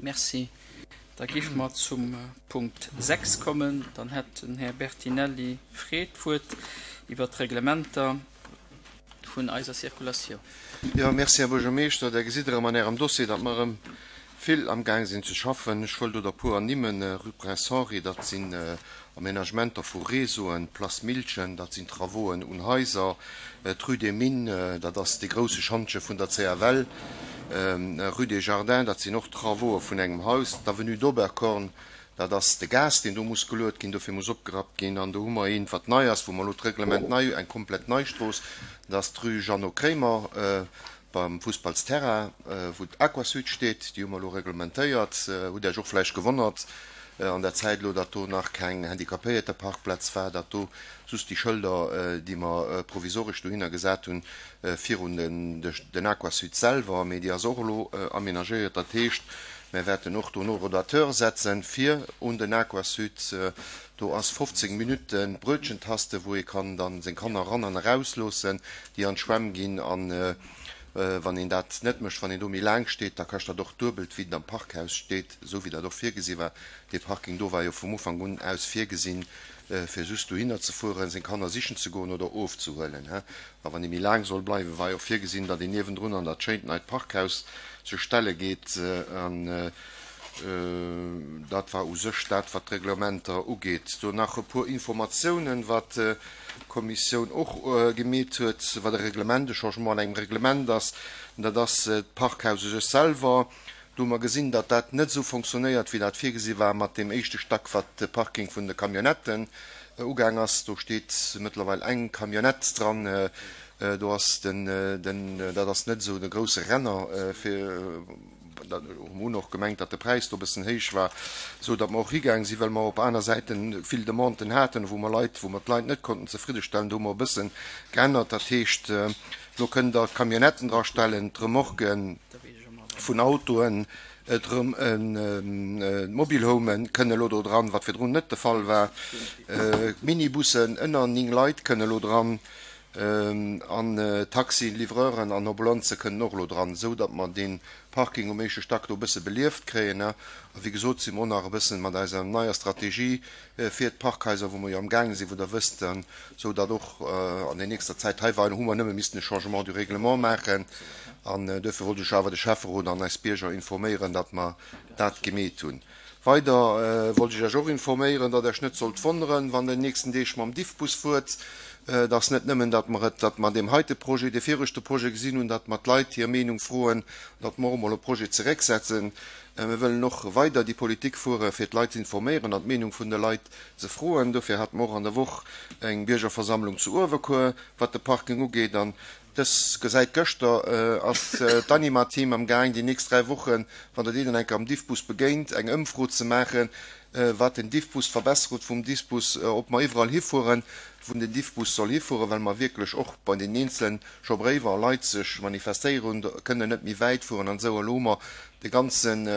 Merci. Da géife mer zum Punkt 6 kommen. Dann hätt den Här Bertinelli Fred d'Wuert iwwert d'Reglementer vun eiser Circulatioun. Jo, merci, Här Buergermeeschter. Der gesitt erëm an Ärem Dossier, datt mer erëm vill amgaang sinn ze schaffen. Ech wëll do der puer ernimmen, Rue Prince Henri, dat sinn Aménagementer vu Réseauen, d'Place Miltgen, dat sinn Travauxen un Haiser, d'Rue des Mines, dat ass dee grousse Schantje vun der CFL, Rue des Jardins, dat sinn och Travauxe vun engem Haus, d'Avenue d'Oberkorn, dat ass de Gas, deen do muss geluet ginn, dofir muss opgerappt ginn. An do hu mer eent, wat nei ass, wou mer elo d'Reglement nei, eng komplett nei Strooss, dat ass d'Rue Jeannot Kremer, Beim Fussballsterrain, wou d'Aquasud steet, déi hu mer elo reglementéiert. Hutt Iech och vläicht gewonnert an der Zäit elo, datt do nach keng Handicapéierteparkplaz war, datt do just déi Schëlder, déi mer provisoresch dohinner gesat hunn, virun den Aquasud selwer, mee déi ass och elo aménagéiert. Dat heescht, mer wäerten och do en Horodateur setzen, fir un den Aquasud. Do ass 15 Minutten d'Brötchentaste, wou ee kann dann seng Kanner eran an eraus loossen, déi an d'Schwämm ginn. An wann een dat net mécht, wann een do méi laang steet, da kascht dat och duebelt, wéi et am Parkhaus steet, esou wéi dat och virgesi war. Dee Parking do war jo vum Ufank un aus virgesinn, fir just dohinner ze fueren, seng Kanner sichen ze goen oder ofzehuelen. A wann ee méi laang soll bleiwen, war jo och virgesinn, datt een niewendrun an dat schéint neit Parkhaus sech stelle geet. An Dat war u sech dat, wat d'Reglementer ugeet. Do nach e puer Informatiounen, wat d'Kommissioun och gemeet huet, wat e Reglement, e Changement an engem Reglement ass. Dat ass d'Parkhaus u sech selwer. Do hu mer gesinn, datt dat net esou fonctionnéiert, wéi dat virgesi war mat deem éischte Stack, wat de Parking vun de Camionnetten ugaang ass. Do steet mëttlerweil eng Camionnette dran. Do ass den, den, dat ass net esou de grousse Renner fir. Da hu mer och gemengt, datt de Präis do e bëssen héich war, esou datt mer och higaang sinn, well mer op aner Säite vill Demanden haten, wou mer Leit, wou mer d'Leit net konnten zefriddestellen. Do hu mer e bësse geännert. Dat heescht, elo kënnt Der d'Camionnetten drastellen, d'Remorquen vun Autoen, d'Mobilhomen kënne elo do dran, wat virdrun net de Fall war, d'Minibussen ënner 9 Leit kënne elo dran. An Taxien, Livreuren an Ambulanze kënnen och elo dran, esou datt mer dee Parking um éischte Stack do e bësse belieft kréien. A wéi gesot si mer och nach e bëssen mat eiser neier Strategie fir d'Parkhaiser, wou mer jo amgaange sinn, wou Der wësst, esou datt och an der nächster Zäit, hei war, hu mer nëmme missten e Changement du règlement maachen. An duerfir wollt ech awer de Schäfferot an eis Bierger informéieren, datt mer dat gemeet hunn. Weider wollt ech Iech och informéieren, datt Iech net sollt wonneren, wann Der déi nächsten Deeg mam Diffbus fuert. Et ass net nëmmen, datt mer et, datt mer an deem heite Projet, dee viregte Projet gesinn hunn, datt mer d'Leit hir Meenung froen, datt mer och emol e Projet zerécksetzen. Mir wëllen och weider déi Politik fuere fir d'Leit ze informéieren an d'Meenung vun de Leit ze froen. Dofir hate mer och an der Woch eng Biergerversammlung zu Uewerkuer, wat de Parking ugeet. An Dës gesäit gëschter ass d'Anima-Team am gaang déi nächst 3 Wochen, wann der deenen eng Kéier am Diffbus begéint, eng Ëmfro ze maachen, wat den Diffbus, d'Verbesserung vum Diffbus, ob mer iwwerall hifueren, wou den Diffbus soll hifueren, well mer wierklech och bei den eenzelen scho Bréiwer a Leit sech manifestéieren hunn, kënnen net méi wäit fueren an esou. Elo hu mer de ganzen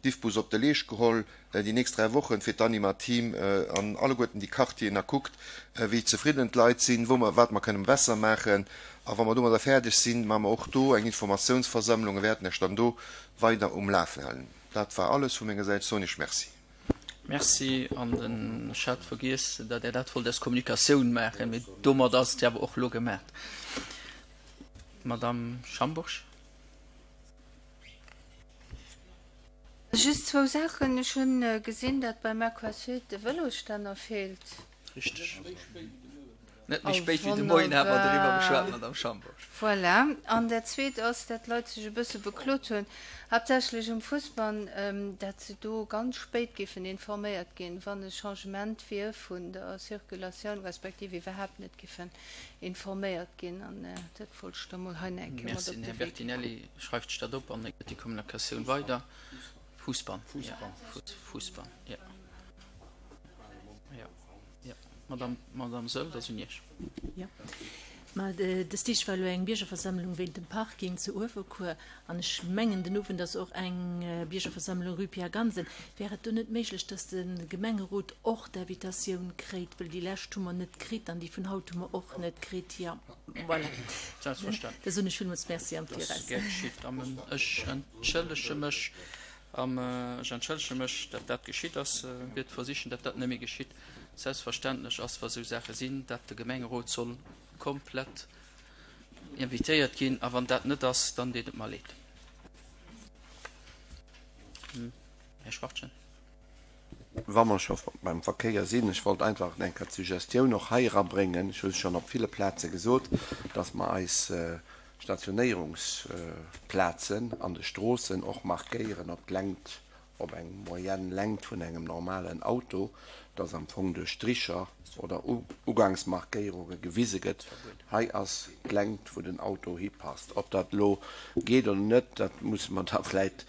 Diffbus op de Leescht geholl. déi nächst 3 Wochen fir d'Anima-Team an alleguerten déi Quartieren a kuckt, wéi zefridden d'Leit sinn, wou mer, wat mer kënnen besser maachen. A wa mer domadder fäerdeg sinn, maache mer och do eng Informatiounsversammlung a wäerten Iech dann do weider um Lafen halen. Dat war alles vu menger Säit. Soen Iech Merci. Merci. An den, ech hat vergiess, datt Där dat wollt als Kommunikatioun maachen, mee domadder ass et jo awer och elo gemaach. Madamm Schambourg. Just zwou Saachen. Ech hunn gesinn, datt beim Aquasud de Vëlosstänner feelt. Richteg. Net méi spéit wéi de Moien hate mer doriwwer geschwat, Madamm Schambourg. Voilà. An dat Zweet ass, datt d'Leit sech e bësse beklot hunn, haaptsächlech um Fussbann, datt se do ganz spéit géifen informéiert ginn, wann e Changement wier vun der Circulatioun, respektiv iwwerhaapt net géifen informéiert ginn. An dat wollt ech da mol hei nach eng Kéier mat Merci. op Den de Här Wee ginn. Bertinelli schreift sech dat op an e gëtt déi Kommunikatioun weider. Fussbann, jo. Fussbann, jo. Jo, jo. Madame, Madame Saeul, dat ass un Iech. Jo. Ma dës Deeg war elo eng Biergerversammlung wéint dem Parking zu Uewerkuer an ech mengen den Owend ass och eng Biergerversammlung rue Pierre Gansen. Wär et do net méiglech, datt de Gemengerot och d'Invitatioun kréit, wëll déi lescht hu mer net kritt an déi vun haut hu mer och net kritt. Jo, voilà. Selbstverständlech. Da soen ech villmools Merci am Dat ass Viraus. gär geschitt. An ech entschëllege mech. An ech entschëllege mech, dat dat geschitt ass. Wäert versichen, dat dat net méi geschitt. Selbstverständlech ass, wa sou Saache sinn, dat de Gemengerot soll komplett invitéiert ginn. A wann dat net ass, dann deet et mer leed. Här Schwachtgen. Wa mer scho beim Verkéier sinn, ech wollt einfach eng Kéier d'Suggestioun och hei erabréngen, ech hu se schonn op ville Plaze gesot, dass mer eis Stationéierungsplazen an de Stroossen och markéieren op d'Längt, op eng moyenne Längt vun engem normalen Auto, dass am Fong duerch Stricher oder Ugangsmarkéierunge gewise gëtt, hei ass d'Längt wou den Auto hipasst. Ob dat elo geet oder net, dat musse mer da vläit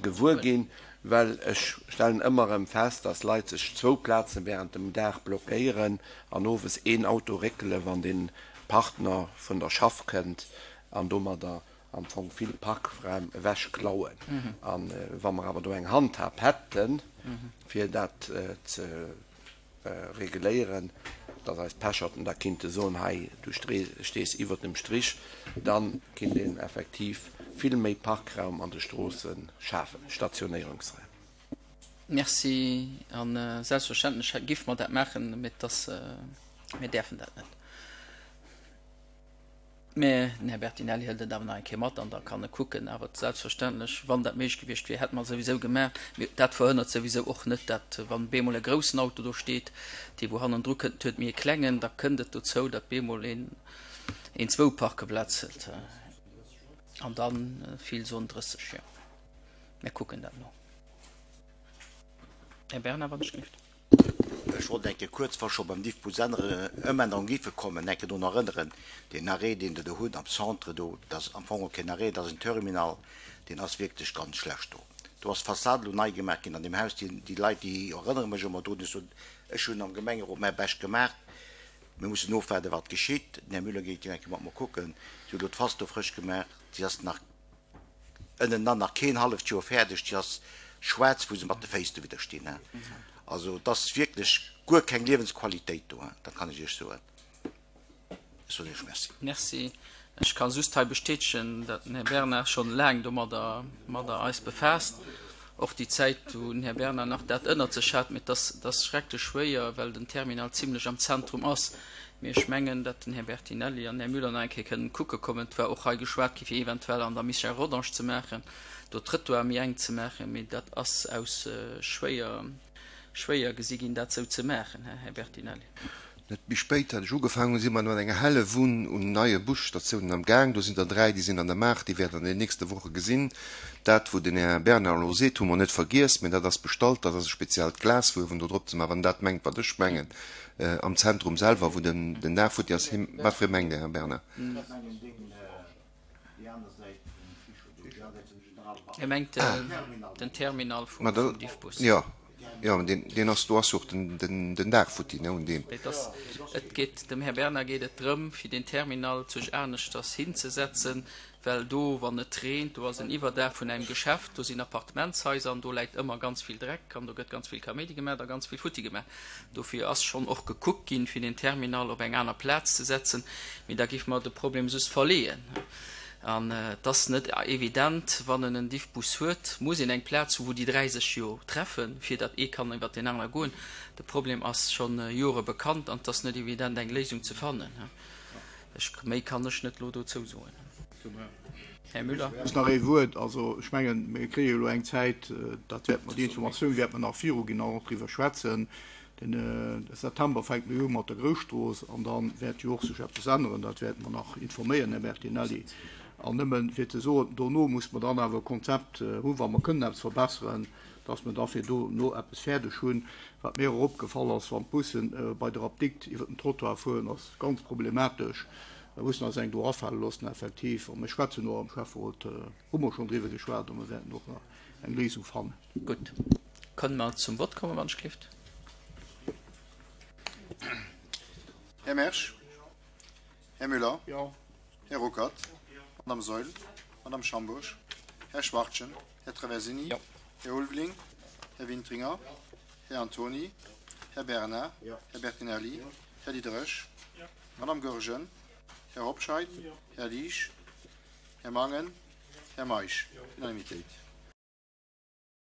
gewuer ginn, well ech stellen ëmmer erëm fest, dass Leit sech zwou Plazen während dem Dag blockéieren an owes een Auto réckele wann de Partner vun der Schaff kënnt an domadder am Fong vill Parkraum ewech klauen. A wa mer awer do eng Handhab hätten, fir dat ze reguléieren, dass eis Pecherten da kinnte soen, hei du stees iwwert dem Strich, da kinnt een effektiv vill méi Parkraum an de Stroosse schafen, Stationéierungsraim. Merci. A selbstverständlech géife mer dat maachen, mee et ass, mir däerfen dat net. Mä den Här Bertinelli hëlt et awer nach eng Kéier mat an da kann e kucken. Awer selbstverständlech, wann dat méiglech gewiescht wier, hätte mer et souwisou gemaach. Mee dat verhënnert souwisou och net, dat wann bemol e groussen Auto do steet, dee wou hannendru kënnt, huet méi e klengen, da kënnt et dozou, datt bemol een een zwou Parkeplaz hëlt. An da vill soen 30, jo. Mir kucken dat no. Här Bernard, wann ech géif. Ech wollt eng Kéier kuerz, wa scho beim Diffbus ännere, Ëmännerung giffe kommen, eng Kéier drun erënneren, deen Arrêt, deen Der do hutt am Centre do, dat ass am Fong och keen Arrêt, dat ass en Terminal, deen ass wierklech ganz schlecht do. Do ass d'Fassad elo nei gemaach ginn an deem Haus. Déi, déi Leit, déi erënnere mech ëmmer drun, ech soen, ech hunn am Gemengerot mäi Bescht gemaach, mir mussen ofwaarden, wat geschitt. Den Här Müller geet jo eng Kéier mat mer kucken. Si hu elo d'Fass do frësch gemaach, si ass nach ënnenan nach keen halleft Joer fäerdeg, déi ass schwaarz wou se mat de Féiss dowidder stinn. Also et ass wierklech guer keng Liewensqualitéit do, dat kann ech Iech soen. Ech soen Iech Merci. Merci. Ech ka just hei bestätegen, datt den Här Bernard schonn laang domadder madder eis befaasst. Och déi Zäit, wou den Här Bernard nach dat ënnert sech hat. Mee et ass, et ass schrecklech schwéier, well den Terminal zimlech am Zentrum ass. Mee ech mengen, datt den Här Bertinelli an den Här Müller nach eng Kéier kënnen kucke kommen. Et war och hei geschwat gi fir eventuell an der Michel Rodange ze maachen, do Trëttoir méi enk ze maachen. Mee dat ass aus schwéier, schwéier gesi ginn, dat esou ze maachen, Här Bertinelli. Net méi spéit hat ech ugefaangen hunn, si mer mat enger helle Wunn un neie Busstatiounen am Gaang. Do sinn der 3, déi sinn an der Maach, déi wäert der an den nächste Woche gesinn. Dat, wou den Här Bernard elo seet, hu mer net vergiess, mä dat ass bestallt, dat ass e speziellt Glas wou do drop ze maachen, wann en dat mengt, wat ech mengen, am Zentrum selwer, wou den Dag futti ass. Wat fir ee mengt Der, Här Bernard? E mengt den Terminal vum Diffbus. Jo, jo, deen ass, do ass jo och den Dag futti, ne, un deem. Et ass, et geet, dem Här Bernard geet et drëm, fir deen Terminal zuch aneschters hinzesetzen, well do, wann et reent, do ass en Iwwerdaach vun engem Geschäft, do sinn Appartementshaiser an do läit ëmmer ganz vill Dreck an do gëtt ganz vill Kaméidi gemaach a ganz vill futti gemaach. Dofir ass schonn och gekuckt ginn, fir deen Terminal op eng aner Plaz ze setzen, mee da géife mer de Problem just verleeën. An et ass net evident, wann en en Diffbus huet, muss een eng Plaz hu wou déi dräi sech jo treffen, fir datt ee kann iwwert deen anere goen. De Problem ass scho Jore bekannt an et ass net evident, eng Léisung ze fannen. Ech, méi kann ech net elo dozou soen. Här Müller. Just nach ee Wuert. Also ech mengen, mir kréie jo elo eng Zäit, dat wäerte mer, déi Informatioun wäerte mer nach viruginn an och driwwer schwätzen. Den September fänke mir u mat der Grousstrooss an da wäert jo och sech eppes änneren. Dat wäerte mer nach informéieren, Här Bertinelli. An nëmmen fir ze soen, dono muss mer dann awer e Konzept hunn, wa mer kënnen eppes verbesseren, dass mer da fir dono eppes fäerdeg hunn. Wat mir och opgefall ass, wann d'Bussen bei der Apdikt iwwer den Trottoir fueren, ass ganz problematesch. Mir mussen eis eng do afale loossen, effektiv. A mir schwätzen och am Schäfferot, hu mer schonn driwwer geschwat a mir wäerten och nach eng Léisung fannen. Gutt, kënne mer zum Vott kommen, wann ech gelift? Här Mersch. Här Müller. Jo. Här Ruckert. Madame Saeul. Madame Schambourg. Här Schwachtgen. Här Traversini. Jo. Här Ulveling. Här Wintringer. Här Antony. Här Bernard. Här Bertinelli. Här Diderich. Madame Goergen. Här Hobscheit. Här Liesch. Här Mangen. Här Meisch. Unanimitéit.